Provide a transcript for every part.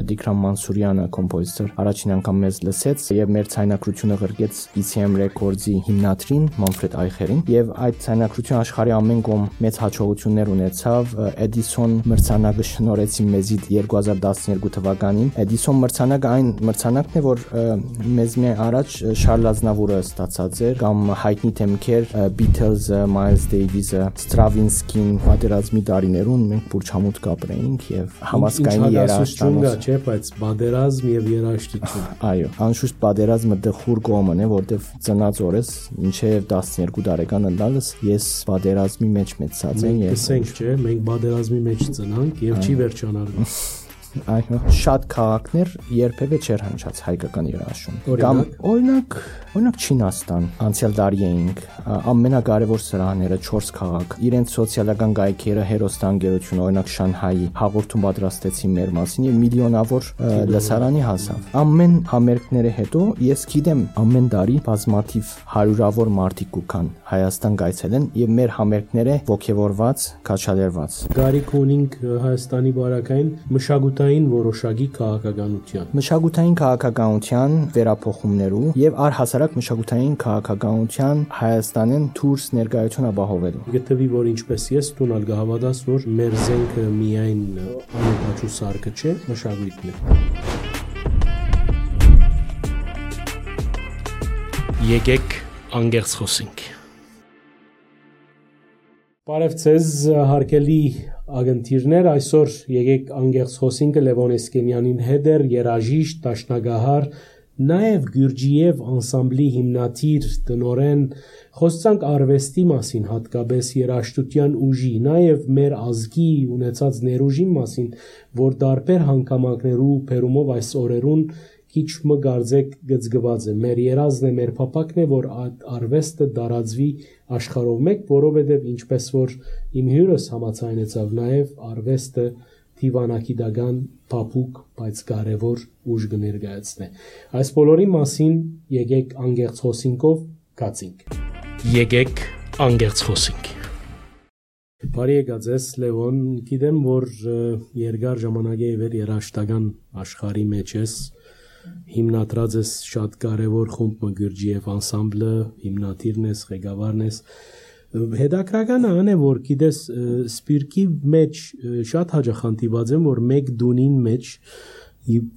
Տիգրան Մանսուրյանը կոմպոզիտոր առաջին անգամ մեզ լսեց եւ մեր ցայնակրությունը ղրկեց ECM Records-ի հիմնադրին Մանֆրեդ Այխերին եւ այդ ցայնակրությունը աշխարհի ամեն կողմ մեծ հաջողություններ ունեցավ Edison մրցանակը շնորհեցին մեզի 2012 թվականին Edison մրցանակը այն մրցանակն է որ մեզ մի առաջ Շարլ Ազնավուրը ստացած էր կամ հայտնի թեմքեր Beatles-ը, Miles Davis-ը, Stravinsky-ին պատերազմի տարիներուն մենք փուրչամուտ կապրեինք եւ համասկայնի երաժշտություն չէ, բայց պատերազմ եւ երաժշտություն։ Այո, անշուշտ պատերազմը դխուր կողմն է, որտեվ ծնած օրս մինչեւ 12 տարեկան ընդալս ես պատերազմի մեջ մեծացած եմ եւ ասենք չէ, մենք պատերազմի մեջ ծնանք եւ չի վերջանալու։ Այո, շատ քաղաքներ երբևէ չէր հնչած հայկական երաժշտություն։ Կամ օրինակ Չինաստան, անցյալ դարի էինք, ամենակարևոր սրահները 4 քաղաք, իրենց սոցիալական գայքերը հերոստանգերություն, օրինակ Շանհայի հաղորդում պատրաստեցին մեր մասին եւ միլիոնավոր լսարանի հասավ։ Ամեն համերգները հետո ես գիտեմ ամեն տարի բազմաթիվ հարյուրավոր մարդիկ կան Հայաստան գայցելեն եւ մեր համերգները ողջևորված, քաչալերված։ Գարիք ունենք Հայաստանի բարակային մշակութային որոշակի քաղաքականության։ Մշակութային քաղաքականության վերափոխումներու եւ առհասարակ մշակութային քաղաքականության Հայաստանեն դուրս ներկայություն ապահովելու։ Գտվի որ ինչպես ես տունալ գահավադաս որ մեր զենքը միայն անոթաչու սարքը չէ, մշակույթն է։ Եկեք անգերց խոսենք։ Բարև ձեզ հարգելի ագնտիրներ, այսօր եկեք անգերց խոսինքը Լևոն Էսկենյանին հետ էր երաժիշտ, դաշնագահար, նաև Գյուրջիև անսամբլի հիմնադիր տնօրեն, խոսանք արվեստի մասին, հատկապես երաժշտության ուժի, նաև մեր ազգի ունեցած ներուժի մասին, որ տարբեր հանգամանքներու բերումով այս օրերուն քիչ մը գարձեք գծգված է։ Մեր երազն է, մեր փապակն է, որ արվեստը դարածվի աշխարհով մեկ, որովհետև ինչպես որ իմ հյուրս համաձայնեցավ, նաև արվեստը դիվանագիտական փափուկ, բայց կարևոր ուժ կներկայացնի։ Այս բոլորի մասին եկեք անգերց խոսինքով կացինք։ Եկեք անգերց խոսենք։ Բարի եկած ես Լևոն, գիտեմ որ երկար ժամանակ է վեր երաժշտական աշխարհի մեջ ես, հիմնադրած ես շատ կարևոր խումբ Գյուրջիև անսամբլը, հիմնադիրն ես, ղեկավարն ես։ Հետաքրքրական է որ գիտես սպիրկի մեջ շատ հաճախ հանդիպած եմ որ մեկ դունին մեջ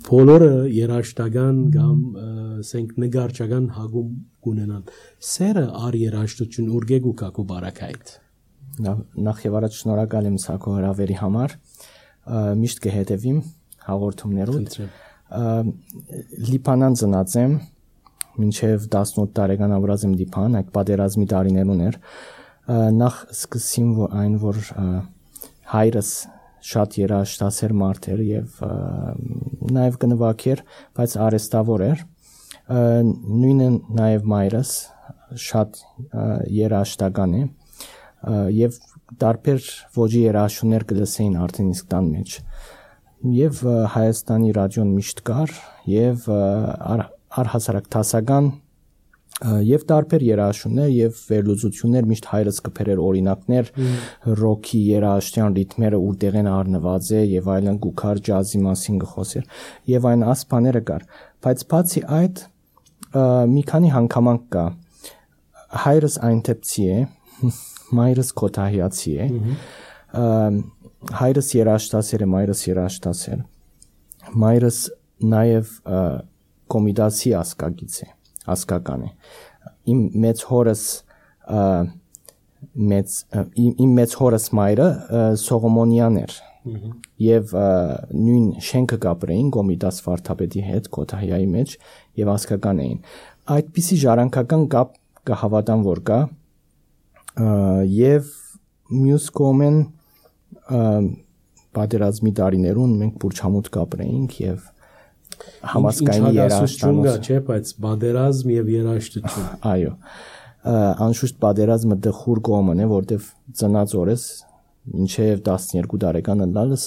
բոլորը երաժշտական կամ ասենք նկարչական հագում կունենան։ Սերը առ երաժշտություն ուրգեգու կակու բարակայդ։ Նախ եւ առաջ շնորհակալ եմ Սակո հրավերի համար։ Միշտ կհետևիմ հաղորդումներուդ։ Լիբանան ծնած եմ, մինչև 18 տարեկան ապրած եմ Լիբանան, այդ պատերազմի տարիներուն էր։ Նախ սկսեցին այն որ հայրս շատ երաժշտասեր մարդ էր եւ նաեւ կնվագեր, բայց արեստավոր էր։ Նույնը նաեւ մայրս շատ երաժշտական է եւ տարբեր ոճի երաժշտություններ կլսեին արդեն իսկ տան մեջ։ Եվ Հայաստանի ռադիոն միշտ կար եւ առհասարակ դասական եւ տարբեր երաժշտություններ եւ վերլուծություններ միշտ հայրս կփերեր օրինակներ ռոքի երաժշտության ռիթմերը որտեղեն առնված է եւ այլն գուքար ջազի մասին գխոսեր եւ այն ասպաները կար բայց բացի այդ մի քանի հանգամանք կա հայրս այնտեպցի է մայրս քոթահիացի է հայրս երաժշտասեր է, մայրս երաժշտասեր։ Մայրս նաև կոմիտասի ասկագից է, ասկական է։ Իմ մեծ հորս մայրը Սողոմոնյան էր։ Եվ նույն շենքը կապրեին կոմիտաս վարդապետի հետ Քոթահիայի մեջ եւ ասկական էին։ Այդպիսի ժառանգական կապ կհավատան որ կա եւ մյուս կողմեն պատերազմի տարիներուն մենք փուրչամուտ կապրեինք եւ համասկայնի երաժշտություն կա, չէ, բայց պատերազմ եւ երաժշտություն։ Այո։ Անշուշտ պատերազմը դխուր կողմն է, որտեվ ծնած օրս մինչեւ 12 տարեկան ընդալս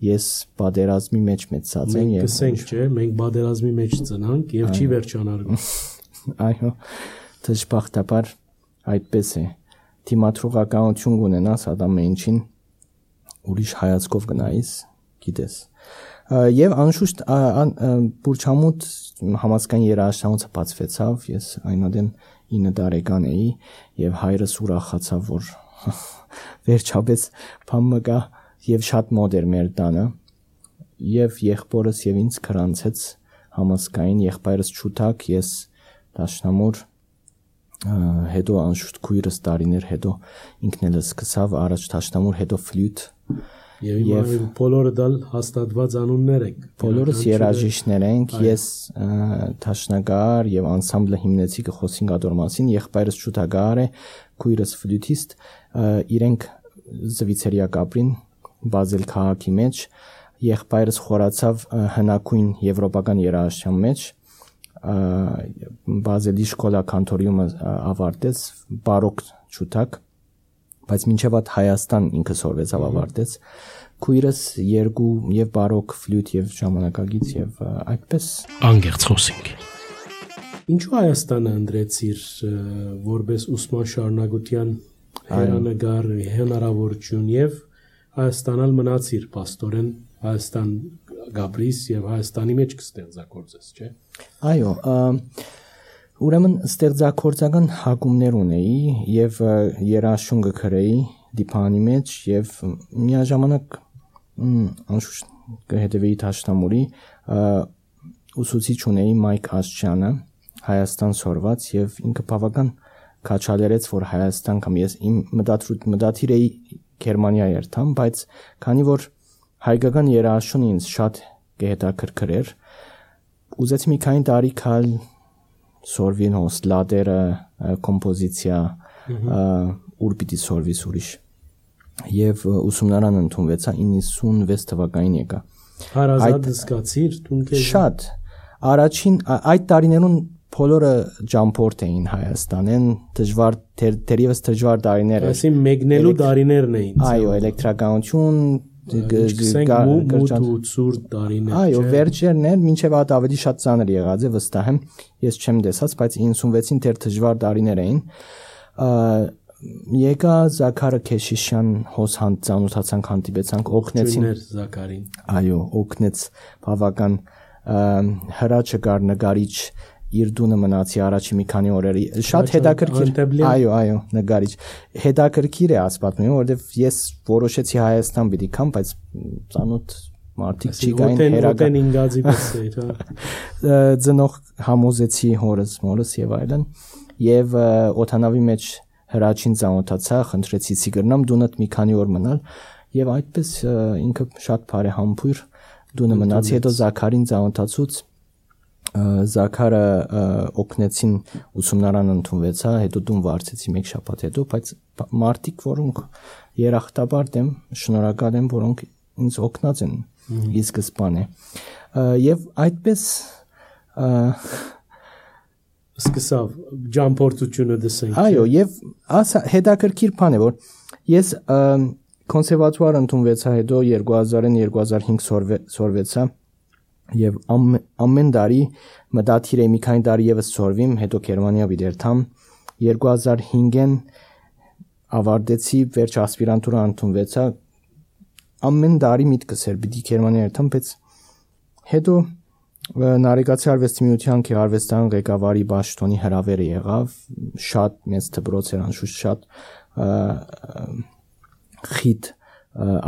ես պատերազմի մեջ մեծացած եմ եւ ասենք չէ, մենք պատերազմի մեջ ծնանք եւ չի վերջանալու։ Այո։ Դժբախտաբար այդպես է։ Թիմադրողականություն ունենաս ադամը ինչին ուրիշ հայացքով գնայիս, գիտես։ Եվ անշուշտ Բուրչամուտ համասկային երաժշտանոցը բացվեցավ, ես այնուհետև 9 տարեկան էի եւ հայրս ուրախացավ, որ վերջապես բանը գա եւ շատ մոտ էր մեր տանը եւ եղբորս եւ ինձ քրանցեց համասկային, եղբայրս Չութակ, ես դաշնամուր, հետո անշուշտ քույրս տարիներ հետո ինքն էլ սկսավ առաջ դաշնամուր, հետո ֆլյուտ եւ բոլորը դալ հաստատված անուններ եք։ Բոլորս երաժիշտներ ենք, ես դաշնագար եւ անսամբլը հիմնեցի, կխոսենք ադոր մասին, եղբայրս Չութագար է, քույրս ֆլյուտիստ, իրենք Զվիցերիա կապրին, Բազել քաղաքի մեջ, եղբայրս խորացավ հնակույն եվրոպական երաժշտության մեջ, Բազելի շկոլա կանտորիումը ավարտեց, բարոկ Չութակ, բայց մինչև այդ Հայաստան ինքը սորվեցավ ավարտեց, քույրս երկու եւ բարոկ ֆլյուտ եւ ժամանակագից եւ այդպես անգերց խոսենք։ Ինչու Հայաստանը ընտրեցիր որպես ուսման շարունակության հերանեկար հնարավորություն եւ Հայաստանալ մնացիր պաստորեն Հայաստան գաբրիս եւ Հայաստանի մեջ կստեղծագործես, չէ՞։ Այո, ուրեմն ստեղծագործական հակումներ ունեի եւ երաժշտություն գրեի դիպանի մեջ եւ միաժամանակ անշուշտ կհետեւեի դաշնամուրի ուսուցիչ ունեի Մայք Աշճյանը Հայաստան սորված եւ ինքը բավական քաչալերեց որ Հայաստան կամ ես իմ մտադիր էի Գերմանիա երթամ, բայց քանի որ հայկական երաժշտությունը ինձ շատ կհետաքրքրեր, ուզեցի մի քանի տարի քալ սորվին հոս լադերը, կոմպոզիցիա, ուր պիտի սորվիս ուրիշ։ Եվ ուսումնարան ընդունվեցա 96 թվականին եկա։ Հարազատ զգացիր տուն քեզ։ Շատ։ Առաջին այդ տարիներուն բոլորը ջամփորդ էին Հայաստանեն, դժվար դերևս դժվար տարիներ էր։ Այսինքն մեկնելու տարիներն էին։ Այո, էլեկտրականություն, ցուրտ տարիներ։ Այո, վերջերն էր, մինչև այդ ավելի շատ ծանր եղած է, վստահ եմ, ես չեմ տեսած, բայց 96-ին դեռ դժվար տարիներ էին։ Եկա Զաքարը Քեշիշյան հոսանց ծանոթացանք, հանդիպեցանք, օգնեցին Զաքարին։ Այո, օգնեց բավական հրաչը կար նկարիչ իր դունը մնացի առաջի մի քանի օրերի շատ հետաքրքիր այո նկարիչ հետաքրքիր է ասպատմում որովհետև ես որոշեցի Հայաստան պիտի կամ բայց ծանոթ մարդիկ չկային հերական ինգազի պես էր ծնող համոզեցի հորս մորս եւ այլն եւ օթանավի մեջ հրաչին ծանոթացա խնդրեցի ցիգրնամ դունդ մի քանի օր մնալ եւ այդպես ինքը շատ բարեհամբույր դունը մնացի հետո Զաքարին ծանոթացուց Զաքարը օգնեցին ուսումնարան ընդունվեցա, հետո դուն վարձեցի մեկ շաբաթ հետո, բայց մարդիկ, որոնք երախտաբար դեմ շնորհակալ եմ, որոնք ինձ օգնած են ի սկզբանե։ Եվ այդպես սկսավ ջամփորդությունը դասենք։ Այո, եւ հետաքրքիր բան է, որ ես կոնսերվատուար ընդունվեցա, հետո 2000-ին 2005 սորվեցա Եվ ամեն տարի մտադիր էի մի քանի տարի եւս սորվիմ, հետո Գերմանիա բիդերթամ 2005-ին ավարտեցի վերջ ասպիրանտուրա ընդունվեցա ամեն տարի միտքս էր պիտի Գերմանիա երթամ, բայց հետո Նարեկացի արվեստի միության քերարվեստական ղեկավարի Բաշտոնի հրավերը եղավ, շատ մեծ դպրոց էր անշուշտ շատ խիտ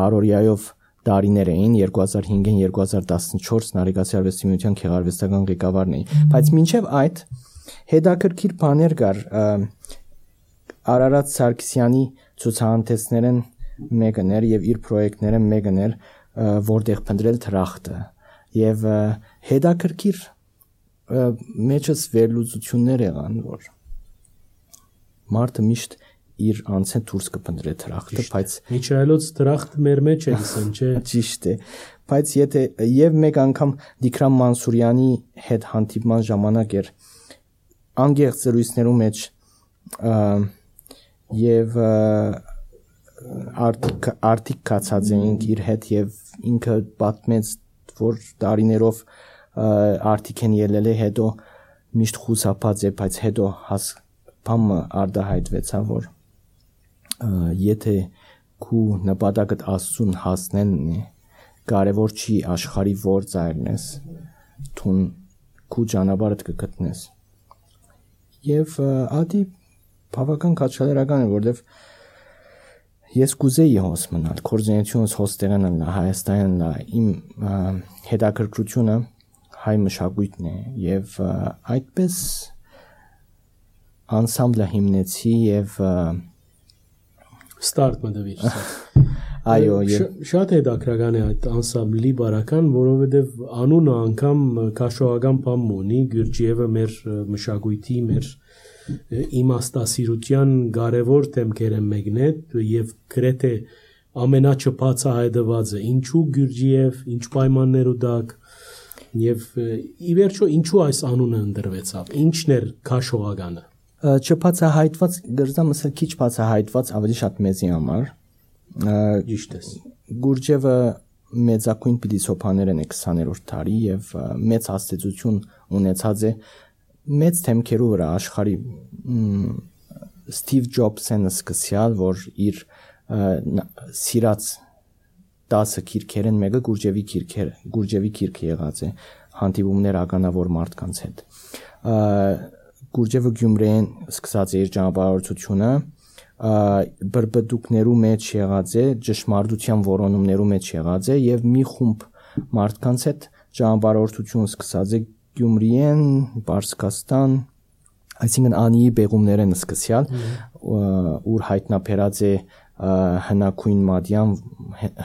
արորիայով տարիներ էին 2005-ին 2014 Նարեկացի արվեստի միության քերարվեստական ղեկավարն էի, բայց մինչև այդ հետաքրքիր բաներ կար Արարատ Սարգսյանի ցուցահանդեսներն մեկն էր եւ իր պրոյեկտները մեկն էր որտեղ փնտրել թրախտը եւ հետաքրքիր մեջս վերլուծություններ եղան որ մարդը միշտ իր անցեն դուրս կփնտրե թրախտը, բայց Միչայելոց թրախտ մեր մեջ է լսեն, չէ։ Ճիշտ է, բայց եթե եւ մեկ անգամ Դիքրամ Մանսուրյանի հետ հանդիպման ժամանակ էր անգերց զրույցներու մեջ եւ արտիկ կացած էինք իր հետ եւ ինքը պատմեց որ տարիներով արտիկ են ելել է հետո միշտ խուսափած է բայց հետո բամը արդահայտվեցա որ եթե քու նպատակդ Աստծուն հասնելն է կարևոր չի աշխարհի որ ծայրն ես թուն քու ճանապարհդ կգտնես եւ ադի բավական քաչալերական է որովհետեւ ես կուզեի հոս մնալ կորզենությունս հոստեղեն լա Հայաստանն լա իմ հետաքրքրությունը հայ մշակույթն է եւ այդպես անսամբլը հիմնեցի եւ ստարտ մտվիր այո շատ հետաքրքրական է այդ անսամբլի բարական որովհետեւ անունը անգամ քաշողական բան ունի Գյուրջիևը մեր մշակույթի մեր իմաստասիրության կարևոր թեմքերը մեկն է եւ գրեթե ամենաչփածահայտվածը ինչու Գյուրջիև ինչ պայմաններ ուտակ եւ ի վերջո ինչու այս անունը ընտրվեցավ ինչն էր քաշողականը չփածահայտված գրզամսը քիչ բացահայտված ավելի շատ մեզի համար ճիշտ է Գուրջևը մեծակույն փիլիսոփաներ են 20-րդ դարի եւ մեծ հաստատություն ունեցած է մեծ թեմքերու վրա աշխարհի Ստիվ Ջոբսն սկսյալ որ իր սիրած 10 քիրքերեն մեկը Գուրջևի քիրքը եղած է հանդիպումներ ականավոր մարդկանց հետ Գուրջևը Գյումրիեն սկսած է իր ճանապարհորդությունը բրբդուկներու մեջ եղած է ճշմարտության որոնումներու մեջ եղած է եւ մի խումբ մարդկանց հետ ճանապարհորդություն սկսած է Գյումրիեն, Պարսկաստան, այսինքն անի բեղումներն սկսյալ ուր հայտնաբերած է հնակույն մադյան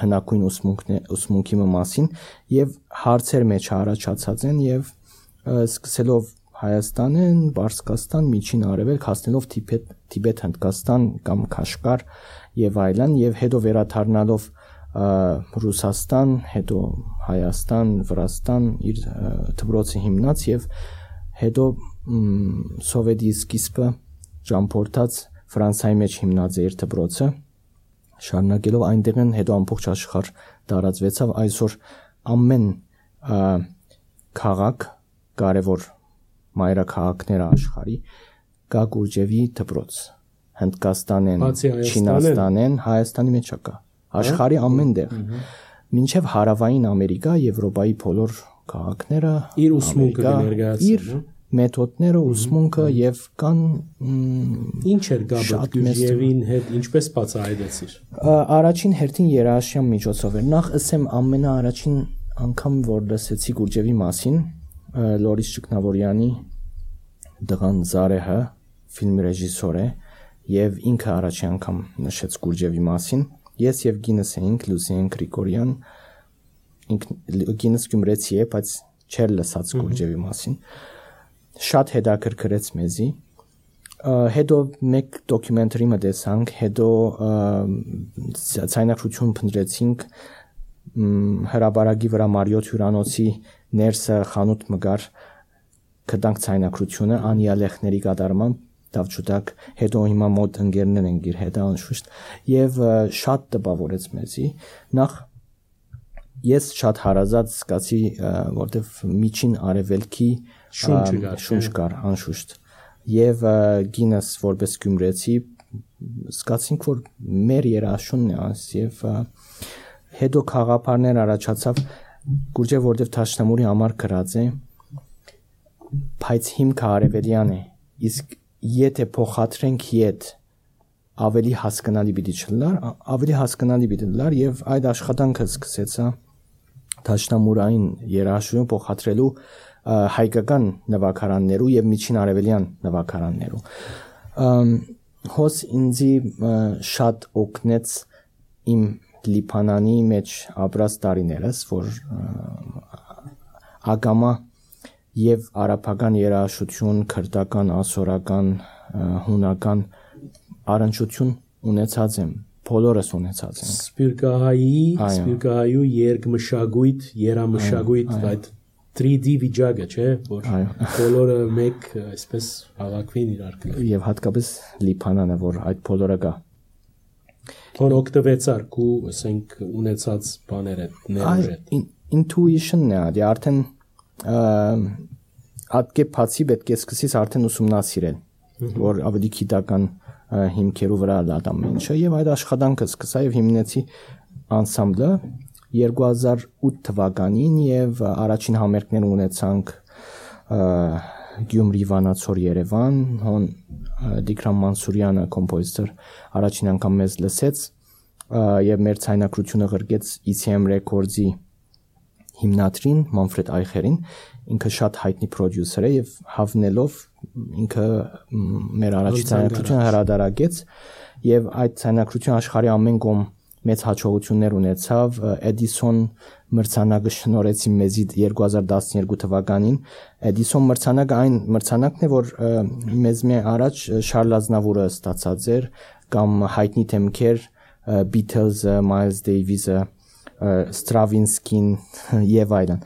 հնակույն ուսմունքի մասին եւ հարցեր մեջ առաջացած են եւ սկսելով Հայաստանեն, Պարսկաստան, Միջին Արևելք հասնելով Տիբետ, Հնդկաստան կամ Քաշկար եւ այլն եւ հետո վերադառնալով Ռուսաստան, հետո Հայաստան, Վրաստան իր դպրոցը հիմնած եւ հետո սովետի սկիզբը ճամփորդած Ֆրանսիայի մեջ հիմնած է իր դպրոցը շարունակելով այնտեղն հետո ամբողջ աշխարհ տարածվեցավ այսօր ամեն քաղաք կարևոր մայրաքաղաքները աշխարհի կա Գուրջևի դպրոց Հնդկաստանեն, Չինաստանեն, Հայաստանի մեջ կա աշխարհի ամեն տեղ մինչև հարավային Ամերիկա, Եվրոպայի բոլոր քաղաքները իր ուսմունքը ներկայացնում մեթոդները ուսմունքը եւ կան ինչ էր գաբը Գյուրջիևին հետ ինչպես բացահայտեցիր առաջին հերթին երաժշտության միջոցով էր նախ ասեմ ամենաառաջին անգամ որ լսեցի Գուրջևի մասին Լորիս Ճկնավորյանի դղան Զարեհը ֆիլմի ռեժիսոր է եւ ինքը առաջին անգամ նշեց Գուրջևի մասին ես եւ Գինես էինք Լուսիեն Գրիգորյան Գինես Գյումրեցի է բայց չէր լսած Գուրջևի մասին շատ հետաքրքրեց մեզի հետո մեկ դոկումենտարի մտեցանք հետո ցայնակրություն փնտրեցինք հրաբարագի վրա Մարիոթ հյուրանոցի ներսը խանութ մգար կդանք ցայնակրությունը անիալեխների կատարմամբ դավճուտակ հետո հիմա մոտ ընկերներ են գիր հետա անշուշտ եւ շատ տպավորեց մեզի նախ ես շատ հարազատ զգացի որտեվ միջին արևելքի շունչ կար անշուշտ եւ Գինես որպես գյումրեցի զգացինք որ մեր երաշունն է աս եւ հետո խաղապարներ առաջացավ Գուրջև որտեվ Թաշնամուրի համար գրած է բայց հիմքը արևելյան է իսկ եթե փոխադրենք իդ ավելի հասկանալի պիտի չլար ավելի հասկանալի պիտի լար եւ այդ աշխատանքը սկսեցա Թաշնամուրային երաշտություն փոխադրելու հայկական նվագարաններու եւ միջին արևելյան նվագարաններու հոս ինձի շատ օգնեց իմ Լիբանանի մեջ ապրած տարիներս որ ագամա եւ արաբական երաժշտություն, քրդական, ասորական, հունական առնչություն ունեցած եմ, բոլորս ունեցած եմ։ Սպիրկահայու երգմշակույթ, երամշակույթ, այդ 3D վիճակը, չէ՞, որ բոլորը մեկ այսպես հավաքվին իրար կլոր։ Եվ հատկապես Լիբանանը, որ այդ բոլորը կա։ Որ օգտվեցար քու, ասենք, ունեցած բաները, ներուժը։ Intuition-ն է, դե արդեն ատկե բացի պետք է սկսես արդեն ուսումնասիրել, որ ավելի գիտական հիմքերով վրա լատամ ինչը եւ այդ աշխատանքը սկսա եւ հիմնեցի անսամբլը 2008 թվականին եւ առաջին համերգներ ունեցանք Գյումրի, Վանաձոր, Երևան, հոն Դիքրամ Մանսուրյանը կոմպոզիտոր առաջին անգամ մեզ լսեց եւ մեր ցայնակրությունը ղրկեց ECM Records-ի հիմնադրին Մանֆրեդ Այխերին, ինքը շատ հայտնի պրոդյուսեր է եւ հավնելով ինքը մեր առաջին ցայնակրությունը հրադարագեց եւ այդ ցայնակրությունը աշխարհի ամեն կողմ մեծ հաջողություններ ունեցավ Edison մրցանակը շնորհեցին մեզի 2012 թվականին Edison մրցանակը այն մրցանակն է որ մեզ մի առաջ Շարլ Ազնավուրը ստացած էր կամ հայտնի թեմքեր Beatles-ը, Miles Davis-ը, Stravinsky-ն եւ այլն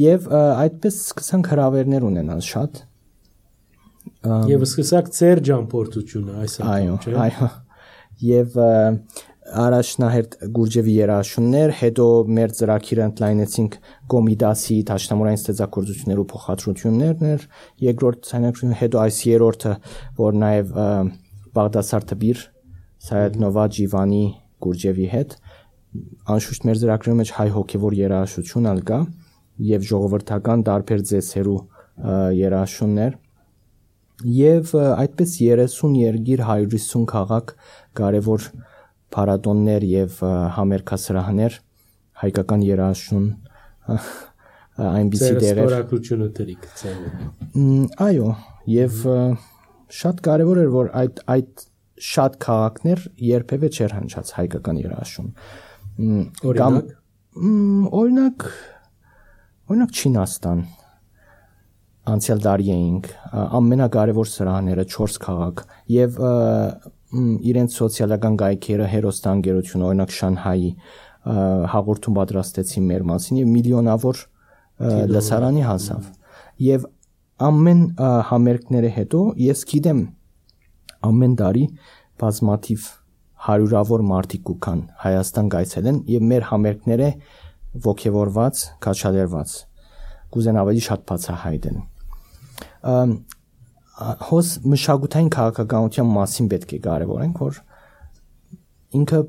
եւ այդպես սկսանք հրավերներ ունենալ շատ եւ սկսակ ծեր ճամփորդությունը այս անգամ չէ այո եւ առաջնահերթ Գուրջևի երաժշտություններ, հետո մեր ծրագիրը ընդլայնեցինք Կոմիդասի դաշնամուրային ստեղծագործություններու փոխադրություններն էր, երկրորդ ցայնակրությունը, հետո այս երրորդը, որ նաև Բաղդասար Թբիր, Սայեդ-Նովա Ջիվանի Գուրջևի հետ, անշուշտ մեր ծրագրի մեջ հայ հոգևոր երաժշտություն ալ կա եւ ժողովրդական տարբեր ձեսերու երաժշտություններ եւ այդպես 30 երկիր 150 քաղաք կարևոր փառատոններ եւ համերգասրահներ հայկական երաժշտություն այնպիսի դերեր ստորագրությունը դրիկ այո եւ շատ կարեւոր էր որ այդ շատ քաղաքներ երբևէ չեր հնչած հայկական երաժշտություն օրինակ Չինաստան անցյալ տարի էինք ամենակարևոր սրահները 4 քաղաք եւ իրենց սոցիալական գայքերը հերոստանգերություն օրինակ Շանհայի հաղորդում պատրաստեցին մեր մասին եւ միլիոնավոր լսարանի հասավ եւ ամեն համերգները հետո ես գիտեմ ամեն տարի բազմաթիվ հարյուրավոր մարդիկ կան Հայաստան գայցելեն եւ մեր համերգները ողջևորված, քաչալերված կուզեն ավելի շատ բացահայտեն հոս մշակութային քաղաքականության մասին պետք է կարևորենք, որ ինքը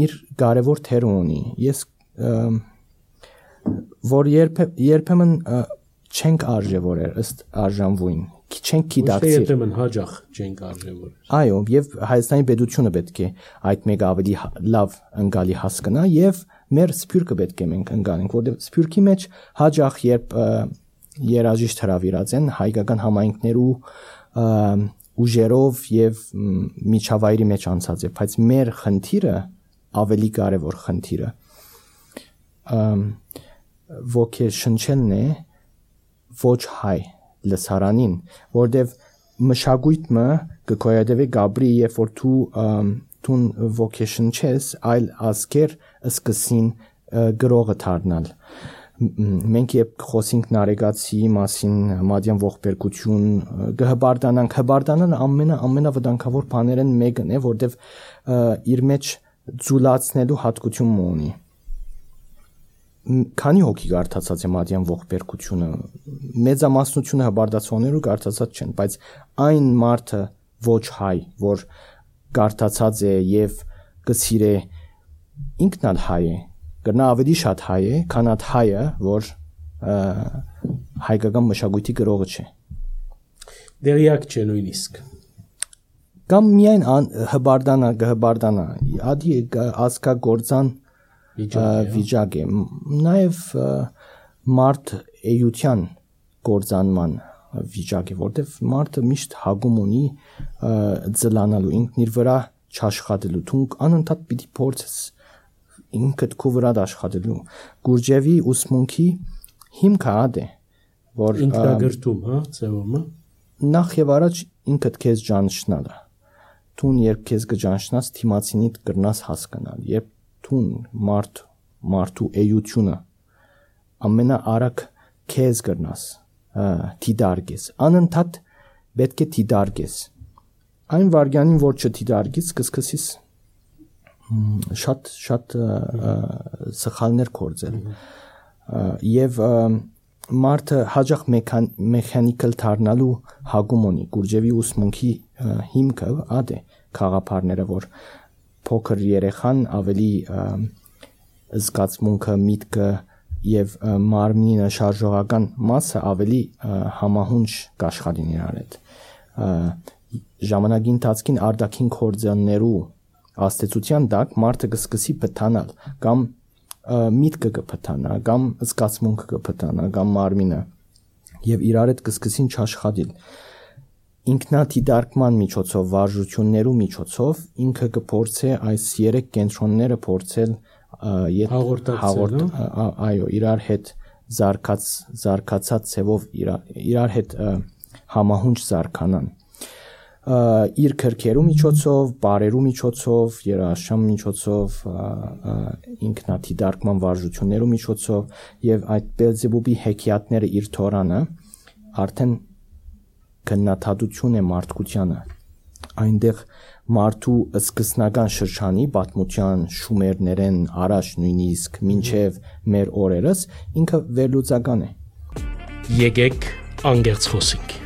իր կարևոր թեր ունի։ Ես որ երբեմն չենք արժևորել ըստ արժանվույն, չենք գիտակցել։ Երբեմն հաջող չենք արժևորել։ Այո, եւ Հայաստանի պետությունը պետք է այդ մեկ ավելի լավ ընկալի հասկանա եւ մեր սփյուռքը պետք է մենք ընկալենք, որովհետեւ սփյուռքի մեջ հաջող երբ երաժիշտ հրավիրած են հայկական համայնքներու ուժերով եւ միջավայրի մեջ անցած է, բայց մեր խնդիրը ավելի կարևոր խնդիրը ոգեշնչելն է ոչ հայ լսարանին, որտեվ մշակույթը կկոյադեվի գաբրի երբ որ դու ոգեշնչես այլ ազգեր սկսին գրողը դառնալ մենք երբ խոսենք նարեկացի մասին մադյան ողբերգություն գհբարդանանք հբարդանան ամենավտանգավոր բաներն մեկն է որտեվ իր մեջ ձուլացնելու հատկություն ունի քանի հոգի կարդացած է մադյան ողբերգությունը մեծամասնությունը հբարդացողներու կարդացած չեն բայց այն մարդը ոչ հայ որ կարդացած է եւ կսիրե ինքն ալ հայ է կրնա ավելի շատ հայ է, քան այդ հայը, որ հայկական մշակույթի գրողը չէ։ Դերյակ չէ նույնիսկ։ Կամ միայն հբարդանա, ադի ազգագործան վիճակ է։ Նաև մարդ էյության գործանման վիճակ է, որտեվ մարդը միշտ հագում ունի ձլանալու, ինքն իր վրա չաշխատելու, դու անընդհատ պիտի փորձես ինքդ քո վրա աշխատելու Գուրջևի ուսմունքի հիմքը ад է որ ինքնագրտում հա ծևումը նախ եւ առաջ ինքդ քեզ ճանաչնալը դու երբ քեզ կճանաչնաս թիմացինիդ կրնաս հասկանալ երբ դու մարդու էյությունը ամենաարագ քեզ կրնաս դիդարգես անընդհատ պետք է դիդարգես այն վարյանին որ չդիդարգես կսկսես շատ սխալներ կործել եւ մարդը հաջող մեխանիկալ դառնալու հագում ունի Գուրջևի ուսմունքի հիմքը ад է խաղապարները որ փոքր երեխան ավելի զգացմունքը, միտքը եւ մարմինը շարժողական մասը ավելի համահունչ կաշխատին իրար հետ։ Ժամանակի ընթացքին արտաքին կորձաններու աստեցության դակ մարդը կսկսի փթանալ կամ միտքը կփթանա կամ զգացմունքը կփթանա կամ մարմինը եւ իրար հետ կսկսին չաշխատել։ Ինքնադիտարկման միջոցով, վարժություններու միջոցով ինքը կփորձե այս 3 կենտրոնները փորձել այո, իրար հետ զարգացած ցևով իրար հետ համահունչ զարգանան։ Իր քրքերու միջոցով, բարերու միջոցով, երաշամ միջոցով, ինքնադիտարկման վարժություններու միջոցով եւ այդ Բելզեբուբի հեքիաթները իր թորանը արդեն քննադատություն է մարդկությանը։ Այնտեղ մարդու սկզբնական շրջանի պատմության շումերներեն առաջ նույնիսկ մինչև մեր օրերս ինքը վերլուծական է։ Եկեք անգերց խոսենք։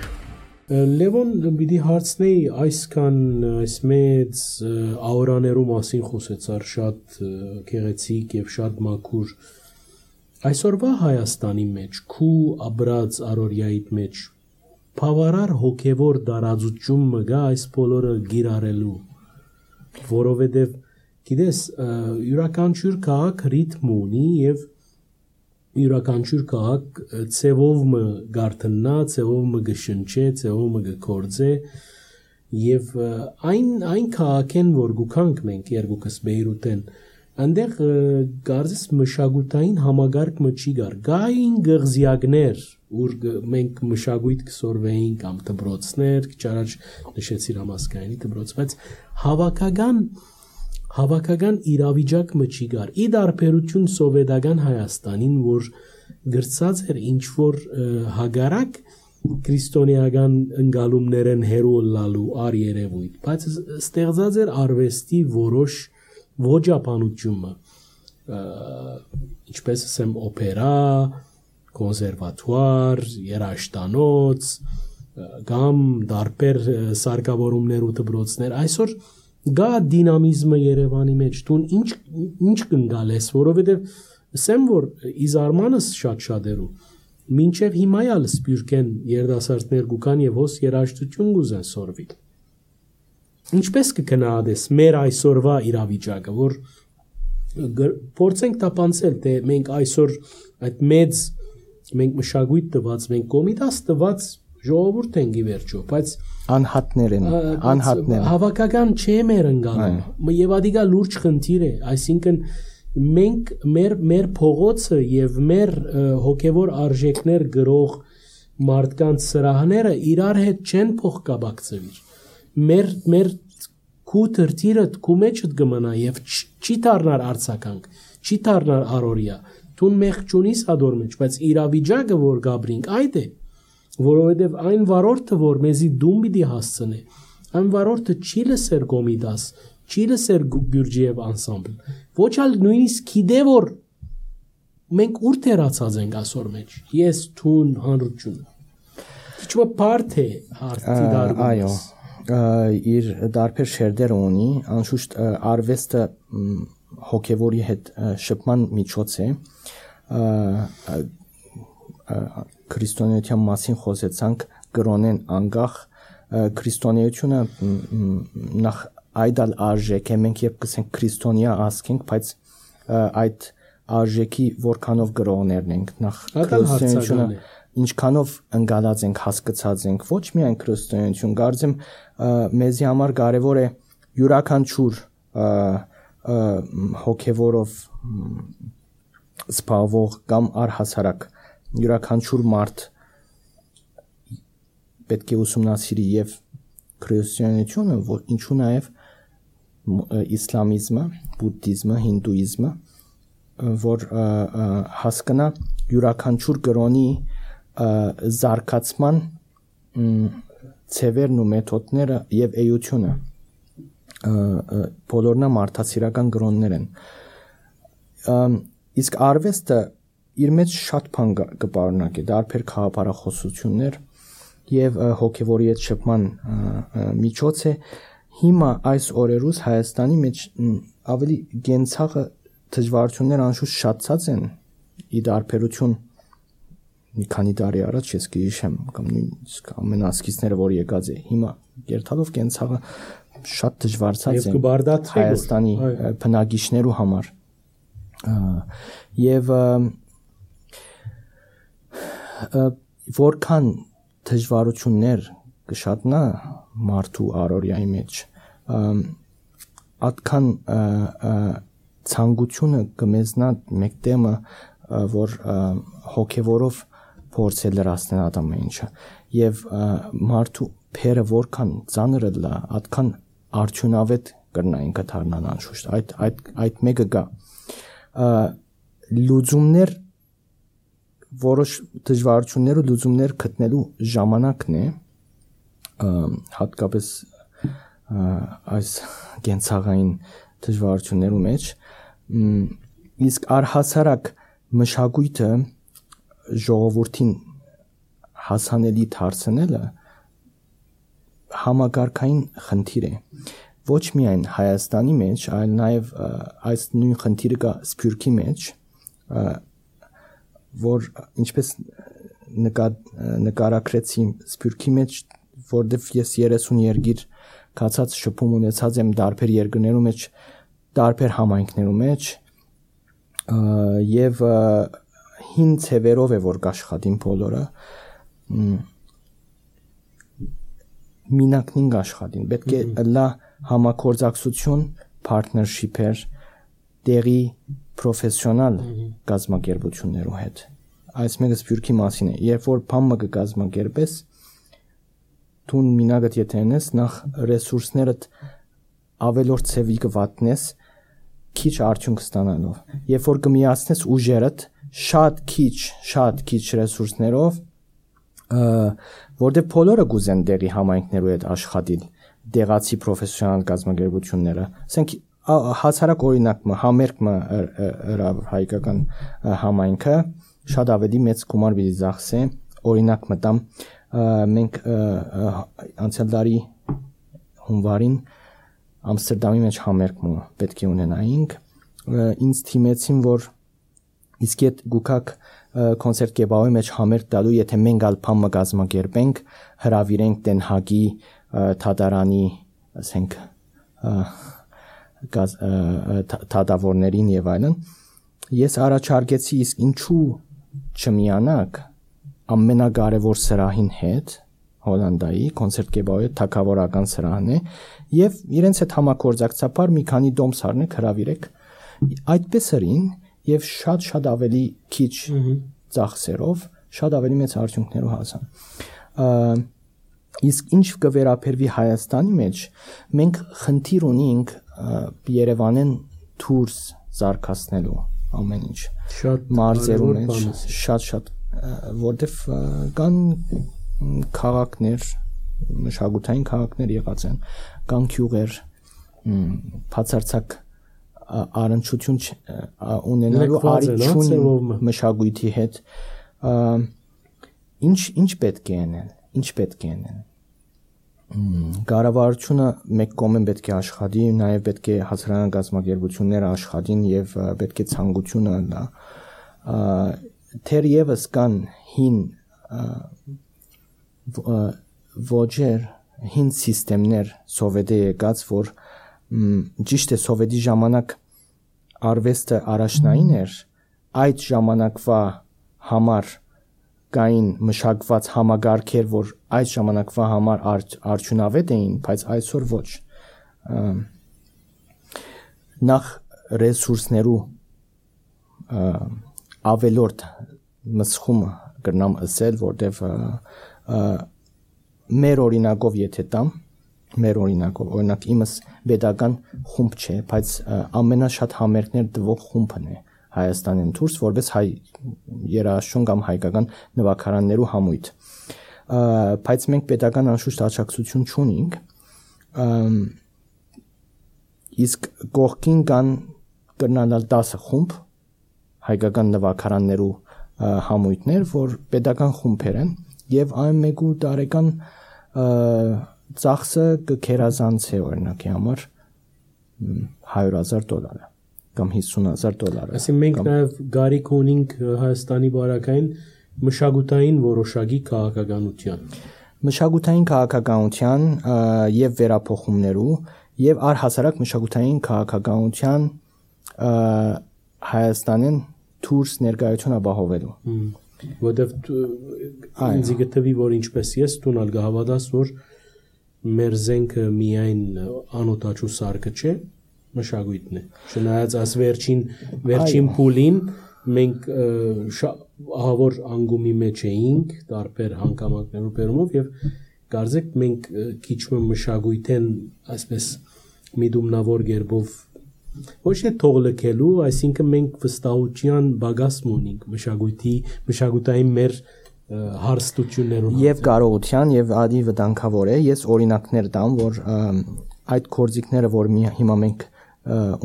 Լևոն պիտի հարցնեի այսքան այս մեծ աուրաներու մասին խոսեցար շատ գեղեցիկ եւ շատ մաքուր այսօրվա Հայաստանի մեջ քու աբրած արորիայիդ մեջ բավարար հոգևոր դարածություն մգա այս բոլորը գիրարելու որովհետեւ գիտես յուրաքանչյուր քաղաք ռիթմ ունի եւ յուրաքանչյուր քաղաք ցևով մը գարտնա ցևով մը գշնչե ցևով մը գկորձե եւ այն քաղաքեն որ գուքանք մենք երկուքս Բեյրութեն այնտեղ գարզես մշակութային համագարկ մը չի գար գային գղզիակներ ուր մենք մշակույթ կսորվեին կամ դբրոցներ քչարաջ նշեցիր համասկայանի դբրոց բայց հավաքական իրավիճակ մը չի գար ի դարբերություն սովետական Հայաստանին որ գրծած էր ինչ որ հագարակ քրիստոնեական ընկալումներեն հերո լալու ար երևույթ բայց ստեղծած էր արվեստի որոշ ոճապանությունը ինչպես ասեմ օպերա կոնսերվատուար երաժշտանոց կամ դարբեր սարքավորումներ ու դպրոցներ այսօր գա դինամիզմը Երևանի մեջ դուն ինչ կնգալես որովհետև ասեմ որ իզարմանս շատ-շատերու մինչև հիմա ալ սպյուրքեն երդասարտներ գուկան եւ հոս երաժշտություն գուզեն սորվիլ ինչպես կգնահատես մեր այսօրվա իրավիճակը որ փորձենք տապանցել թե մենք այսօր այդ մեծ մենք մշակույթ տված մենք կոմիտաս տված ժողովուրդ ենք ի վերջո բայց անհատներ հավաքական չէ մեր ընկալումը եւ ադիգա լուրջ խնդիր է այսինքն մենք մեր փողոցը եւ մեր հոգեվոր արժեքներ գրող մարդկանց սրահները իրար հետ չեն փոխկապակցվի մեր քութրտիրը քու մեջդ գմնա եւ չի դառնար արցականք չի դառնար արորիա դուն մեղ ճունիս ադոր մեջ բայց իրավիճակը որ գաբրինք այդ է որովհետեւ այն վարորդը որ մեզի դում պիտի հասցնե այն վարորդը չի լսեր կոմիդաս չի լսեր Գյուրջիև անսամբլ ոչ ալ նույնիսկ գիտե որ մենք ուր թերացած ենք ասոր մեջ ես թուն հանրությունը քիչ բարդ է հարցի դառնում այո իր դարբեր շերտեր ունի անշուշտ արվեստը հոգևորի հետ շփման միջոց է քրիստոնեության մասին խոսեցանք կրոնեն անգախ քրիստոնեությունը նախ այդալ արժեք է մենք երբ կսենք քրիստոնյա ասենք բայց այդ արժեքի որքանով գրողներն ենք նախ քրիստոնեությունը ինչքանով ընկալած ենք հասկացած ենք ոչ միայն քրիստոնեություն կարծեմ մեզի համար կարևոր է յուրաքանչյուր հոգևորով սպասվող կամ առհասարակ յուրաքանչյուր մարդ պետք է ուսումնասիրի եւ քրիստոնեությունը որ ինչու նաեւ իսլամիզմը, բուդդիզմը, հինդուիզմը որ հասկանա յուրաքանչյուր կրոնի զարգացման ցևերն ու մեթոդները եւ էությունը բոլորնա մարդասիրական կրոններ են իսկ արվեստը իր մեջ շատ բան կպարունակի դարբեր խաղապարախոսություններ եւ հոգեվորի հետ շփման միջոց է հիմա այս օրերուս Հայաստանի մեջ ավելի գենցաղը դժվարությունները անշուշտ շատացած են ի դարբերություն մի քանի տարի առաջ ես գիշեմ կամ նույնիսկ ամենասկիզները որ եկած է հիմա երթալով կենցաղը շատ դժվարացած է Հայաստանի բնակիչներու համար եւ որքան դժվարություններ կշատնա մարդու առօրյայի մեջ այդքան ցանկությունը կմեզնա մեկտեմը որ հոգեվորով փորձել լրացնել ադամը ինչը եւ մարդու փերը որքան ծանրը լա այդքան արդյունավետ կրնային կդառնան անշուշտ այդ մեկը գա լուծումներ որոշ դժվարություններ ու լուծումներ գտնելու ժամանակն է հատկապես այս կենցաղային դժվարություններու մեջ իսկ առհասարակ մշակույթը ժողովրդին հասանելի դարձնելը համագարկային խնդիր է ոչ միայն Հայաստանի մեջ այլ նաև այս նույն խնդիրը կա Սփյուռքի մեջ որ ինչպես նկարագրեցի Սփյուռքի մեջ որտեվ ես 30 երկիր կացած շփում ունեցած եմ տարբեր երկրներու մեջ տարբեր համայնքներու մեջ եւ հին ցևերով է որ աշխատին բոլորը մինակնին աշխատին պետք է լա համագործակցություն partnership-եր տեղի պրոֆեսիոնալ կազմակերպություններու հետ այս մեկը Սփյուռքի մասին է երբ որ բամը կկազմակերպես դու մինագդ եթե ունես նախ ռեսուրսներդ ավելորդ ցևի կվատնես քիչ արդյունք ստանալով երբ որ կմիացնես ուժերդ շատ քիչ ռեսուրսներով որտեղ բոլորը գուզեն դեղի համայնքներու հետ աշխատել դեղացի պրոֆեսիոնալ կազմակերպությունները ասենք հացարակ օրինակը համերգը հայկական համայնքը շատ ավելի մեծ գումար պիտի ծախսե օրինակ մտամ մենք անցյալ տարի հունվարին Ամստերդամի մեջ համերգ պետք է ունենայինք ինձ թիմեցին որ իսկ այդ գուկակ կոնցերտ կեբավի մեջ համերգ տալու եթե մենք ալփամը կազմակերպենք հրավիրենք Դենհագի թատարանի ասենք թատավորներին եւ այլն ես առաջարկեցի իսկ ինչու չմիանակ ամենակարևոր սրահին հետ Հոլանդայի կոնցերտ կեբավի թակավորական սրահն է եւ իրենց հետ համագործակցաբար մի քանի դոմս առնեք հրավիրեք այդպես արին եւ շատ ավելի քիչ ծախսերով շատ ավելի մեծ արդյունքներով հասան իսկ ինչ կվերապերվի Հայաստանի մեջ մենք խնդիր ունենք Երևանեն դուրս զարգացնելու ամեն ինչ շատ մարզերու մեջ շատ որտեվ կան քաղաքներ մշակութային քաղաքներ եղած են կան գյուղեր բացարձակ առնչություն ունենալու առիթ մշակույթի հետ ինչ պետք է անեն կառավարությունը մեկ կողմեն պետք է աշխատի նաև պետք է հասարակական կազմակերպությունները աշխատին եւ պետք է ցանկությունը լա թերևս կան հին ոճեր հին սիստեմներ սովետի եկած որ ճիշտ է սովետի ժամանակ արվեստը առաջնային էր այդ ժամանակվա համար կային մշակված համագարկեր որ այդ ժամանակվա համար արդյունավետ էին բայց այսօր ոչ նախ ռեսուրսներու ավելորդ մսխումը կրնամ ասել որտեվ մեր օրինակով եթե տամ մեր օրինակ իմս պետական խումբ չէ բայց ամենաշատ համերգներ տվող խումբն է Հայաստանին դուրս որպես հայ երաժշտություն կամ հայկական նվագարաններու համույթ բայց մենք պետական անշուշտ աջակցություն չունենք իսկ կողքին կան կրնալ 10 խումբ հայկական նվագարաններու համույթներ որ պետական խումբեր են եւ այն մեկու տարեկան ծախսը կքերազանցե օրինակի համար $100,000 կամ $50,000 Այսինքն մենք նաև գարիք ունենք Հայաստանի բարակային մշակութային որոշակի քաղաքականության եւ վերափոխումներու եւ առհասարակ մշակութային քաղաքականության Հայաստանին դուրս ներկայություն ապահովելու որտեվ ինձ գտվի որ ինչպես ես տունալ գահավադաս որ մեր զենքը միայն անօտաչու սարքը չէ մշակույթն է չնայած այս վերջին փուլին մենք ահավոր անգումի մեջ էինք տարբեր հանգամանքներով բերումով եւ կարծեք մենք քիչ մշակույթեն այսպես միդումնավոր գերբով ոչ թե թողլքելու, այսինքն մենք վստահության բագասմ ունենք մշակութային մեր հարստություններում եւ կարողության եւ ադի վտանգավոր է ես օրինակներ տամ որ այդ կորձիկները որ հիմա մենք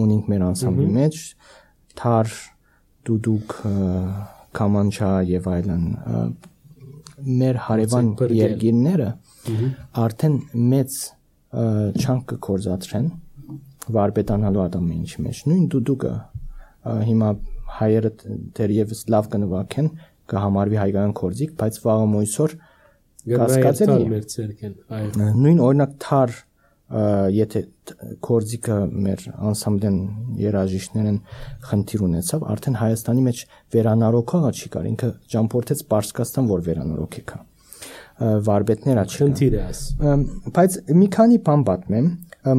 ունենք մեր անսամբլի մեջ թար դուդուկ կամանչա եւ այլն մեր հարևան երկիրները արդեն մեծ չանք կորզացրեն վարպետանալու ադամի ինչի մեջ նույն դուդուկը հիմա հայերը դերևս լավ կնվագեն կհամարվի հայկական կորձիկ բայց վաղը մույսօր կասկածելի է նույն օրինակ թար եթե կորձիկը մեր անսամբլեն երաժիշտներն խնդիր ունեցավ արդեն Հայաստանի մեջ վերանորոգողը չի կար ինքը ճամփորդեց Պարսկաստան որ վերանորոգի կա վարպետները չընթիր է աս բայց մի քանի բան պատմեմ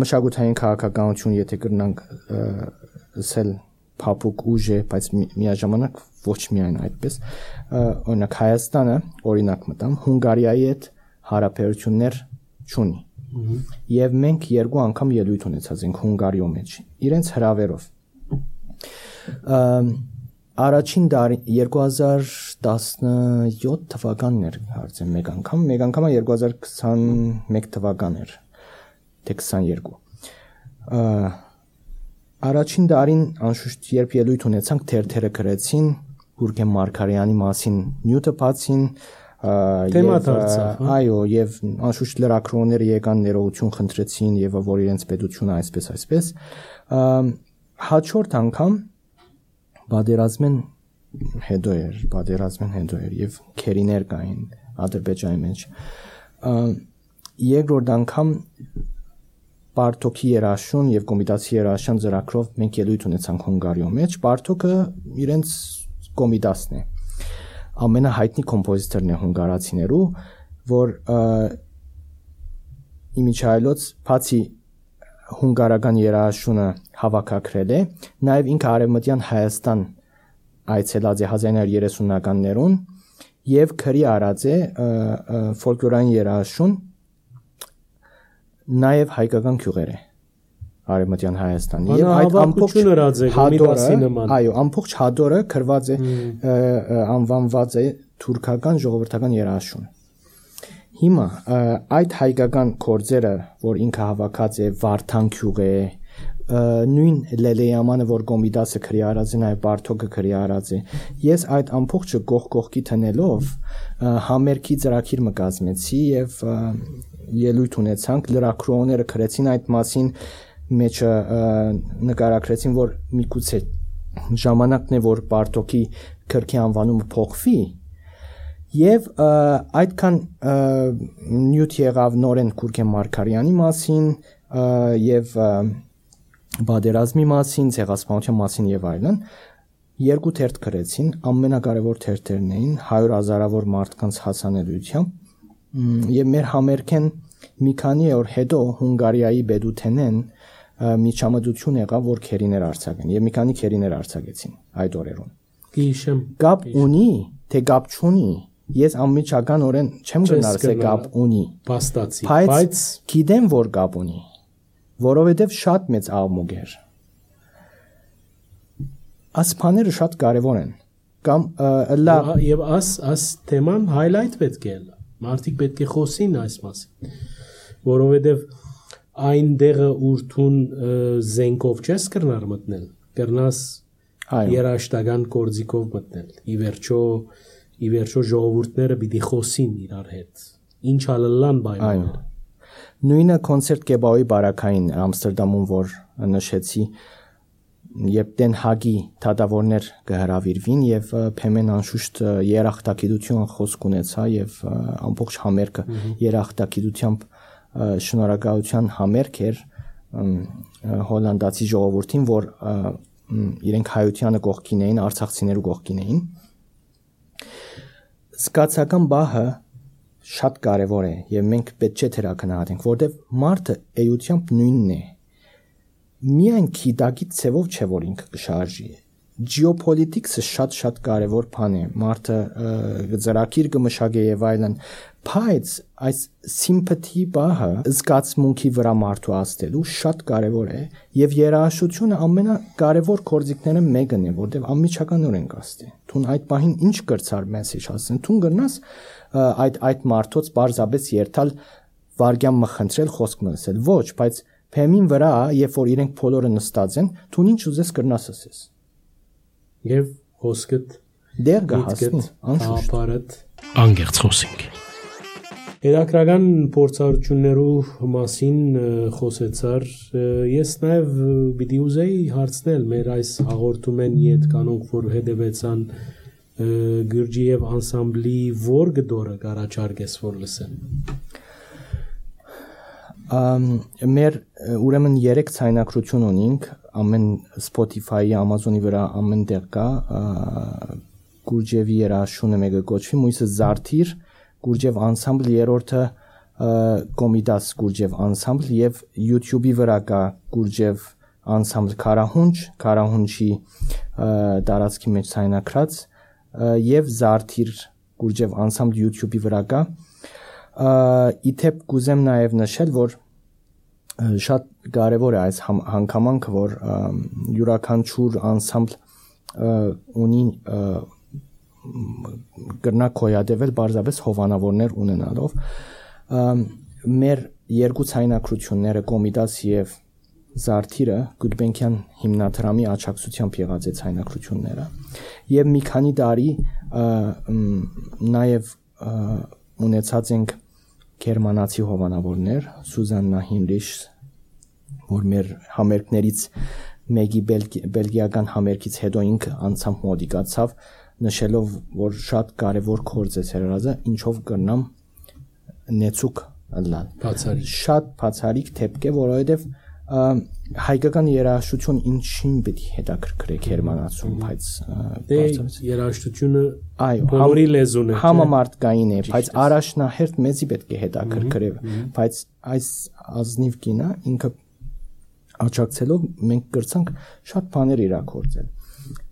մշակութային քաղաքականություն եթե կրնանք ասել փափուկ ուժ է բայց միաժամանակ ոչ միայն այդպես օրինակ Հայաստանը օրինակ մտամ Հունգարիայի հետ հարաբերություններ չունի եւ մենք երկու անգամ ելույթ ունեցած ենք Հունգարիո մեջ իրենց հրավերով առաջին տարի 2017 թվականն էր հարցեմ մեկ անգամ 2021 թվական էր թե 22 առաջին տարին անշուշտ երբ ելույթ ունեցանք թերթերը գրեցին Գուրգեն Մարգարյանի մասին նյութը բացին այո եւ անշուշտ լրագրողները եկան ներողություն խնդրեցին եւ որ իրենց պետությունը այսպես հաջորդ անգամ Բادرազմեն հետո էր եւ քերիներ կային Ադրբեջանի մեջ երկրորդ անգամ Պարտոկի երաշուն եւ կոմիտասի երաշան ծրագրով մենք ելույթ ունեցանք Հունգարիո մեջ Պարտոկը իրենց կոմիտասն է ամենահայտնի կոմպոզիտորն է հունգարացիներու որ իմիջայլոց բացի հունգարական երաշունը հավաքակրել է նաև ինքը արևմտյան Հայաստան այցելած է 1930-ականներուն եւ քրի արած է ֆոլկլորային երաշուն նաև հայկական գյուղեր է արևմտյան Հայաստան եւ այդ ամբողջ այո ամբողջ հադորը գրված է անվանված է թուրքական ժողովրդական երաշուն հիմա այդ հայկական կորձերը որ ինքը հավաքած է Վարդան գյուղ է նույն Լելեյամանը որ Կոմիտասը քրի արած է նաև Պարտոկը քրի արած է ես այդ ամբողջը կողքի տնելով համերգի ծրագիր մկազմեցի եւ ելույթ ունեցանք լրագրողները գրեցին այդ մասին մեջը նկարագրեցին որ միգուցե ժամանակն է որ Պարտոկի քրքի անվանումը փոխվի եւ այդքան նյութ եղավ նորեն Գուրգեն Մարգարյանի մասին եւ Բادرազմի մասին, ցեղասպանության մասին եւ այլն երկու թերթ գրեցին ամենակարևոր թերթերն էին 100,000-ավոր մարդկանց հասանելիությամբ եւ մեր համերգեն մի քանի օր հետո Հունգարիայի Բեդութենեն միջամտություն եղավ որ քերիներ արձակեն եւ մի քանի քերիներ արձակեցին այդ օրերուն գիշեմ գապ ունի թե գապ չունի ես անմիջականորեն չեմ գնալ թե գապ ունի փաստացի բայց գիտեմ որ գապ ունի որովհետեւ շատ մեծ աղմուկ էր ասփաները շատ կարեւոր են կամ եւ աս թեման highlight պետք է լա մարդիկ պետք է խոսին այս մասին որովհետեւ այն դեղը ուրթուն զենքով չես կրնար մտնել կրնաս երաշտական կորձիկով մտնել ի վերջո ժողովուրդները պիտի խոսին իրար հետ ինչ ալլան բայմաներ նույնը կոնցերտ Կեբաուի բարակային Ամստերդամում որ նշեցի Երբ Դեն Հագի թադավորներ կհրավիրվին եւ Փեմեն անշուշտ երախտագիտություն խոսք ունեցա եւ ամբողջ համերգը երախտագիտությամբ շնորհակալության համերգ էր հոլանդացի ժողովրդին, որ իրենք հայությանը կողքին էին, արցախցիներու կողքին էին։ Զգացական բահը շատ կարևոր է եւ մենք պետք չէ թերակնահատենք, որտեւ մարդը էությամբ նույնն է։ Միայն քիդակի ցևով չէ որ ինքը կշարժի։ Geopolitics-ը շատ կարևոր բան է։ Մարդը ծրագիր կմշակե եւ այլն, բայց այս sympathy բահը զգացմունքի վրա մարդու աստելու շատ կարևոր է եւ երաժշտությունը ամենակարևոր գործիքները մեկն է, որտեղ անմիջականորեն կաստի։ Թուն այդ բահին ինչ կրծար մեսեջ ասեն, թուն գրնաս այդ մարդոց բարձաբես երթալ վարգյան մխնդրել խոսք մսել։ Ոչ, բայց Փեմին վրա, երբ որ իրենք բոլորը նստած են, թուն ինչ ուզես կրնաս ասես։ Եվ խոսքդ դեր գահասնի, անշուշտ անգերց խոսենք։ Հետաքրական փորձառություններու մասին խոսեցար, ես նաև պիտի ուզեի հարցնել մեր այս հաղորդումեն իդ կանոնք, որ հետևեցան Գյուրջիև անսամբլի որ գդորը կարաչարգես որ լսեն։ Մեր ուրեմն 3 ցայնակրություն ունենք, ամեն Spotify-ի, Amazon-ի վրա ամեն տեղ կա, Գյուրջիևի երաժշտությունը մեկը կոչվի Մույսը Զարթիր, Գյուրջիև անսամբլ, երրորդը Կոմիդաս Գյուրջիև անսամբլ եւ YouTube-ի վրա կա Գյուրջիև անսամբլ Քարահունչի տարածքի մեջ ցայնակրած եւ Զարթիր Գյուրջիև անսամբլ YouTube-ի վրա կա։ Իթեպ կուզեմ նաև նշել, որ շատ կարևոր է այս հանգամանքը, որ յուրաքանչյուր անսամբլ ունի կրնա կոյադեվել բարձրապես հովանավորներ ունենալով։ Մեր երկու ցայնակրությունները Կոմիդաս եւ Զարթիրը Գուլբենկյան հիմնադրամի աջակցությամբ եղած է ցայնակրությունները եւ մի քանի տարի նաև ունեցած ենք գերմանացի հովանավորներ Սուզաննա Հինրիշ, որ մեր համերգներից մեկի բելգիական համերգից հետո ինքը անցամբ մոդիկացավ, նշելով, որ շատ կարևոր գործ է ցերազը, ինչով կրնամ նեցուկ լալ։ Բացարիք։ Շատ բացարիք դեպք է, որովհետև հայկական երաժշտություն ինչին պետք է հետաքրքրե գերմանացուն, բայց երաժշտությունը բոլորի լեզուն է, համամարտկային է, բայց առաջնահերթ մեզի պետք է հետաքրքրե, բայց այս ազնիվ կինը ինքը աջակցելով մենք կրցանք շատ բաներ իրագործել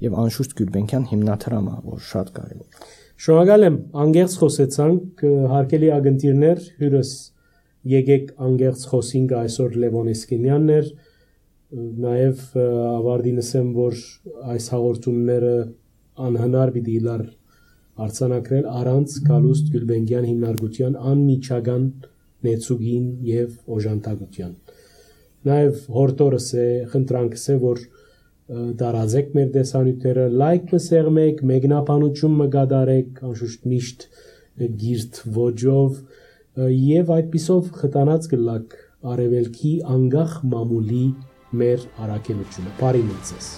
եւ անշուշտ Գյուլբենկյան հիմնադրամը, որ շատ կարեւոր։ Շնորհակալ եմ, անգերց խոսեցանք, հարգելի ագնտիրներ, հյուրս եկեք անգերց խոսինք այսօր Լևոն Էսկենյանն էր, նաև ավարտինս եմ, որ այս հաղորդումները անհնար պիտի լար արձանագրել առանց Գալուստ Գյուլբենկյան հիմնարկության անմիջական նեցուգին եւ օժանդակության։ Նաև հորտորս է, խնդրանքս է, որ դարազեք մեր տեսանյութերը, լայք մսեղմեք, մեկնաբանություն մգադարեք, անշուշտ միշտ գիրտ ոճով եւ այդպիսով խտանած գլակ արևելքի անգախ մամուլի մեր առաքելությունը։ Բարի մնացես։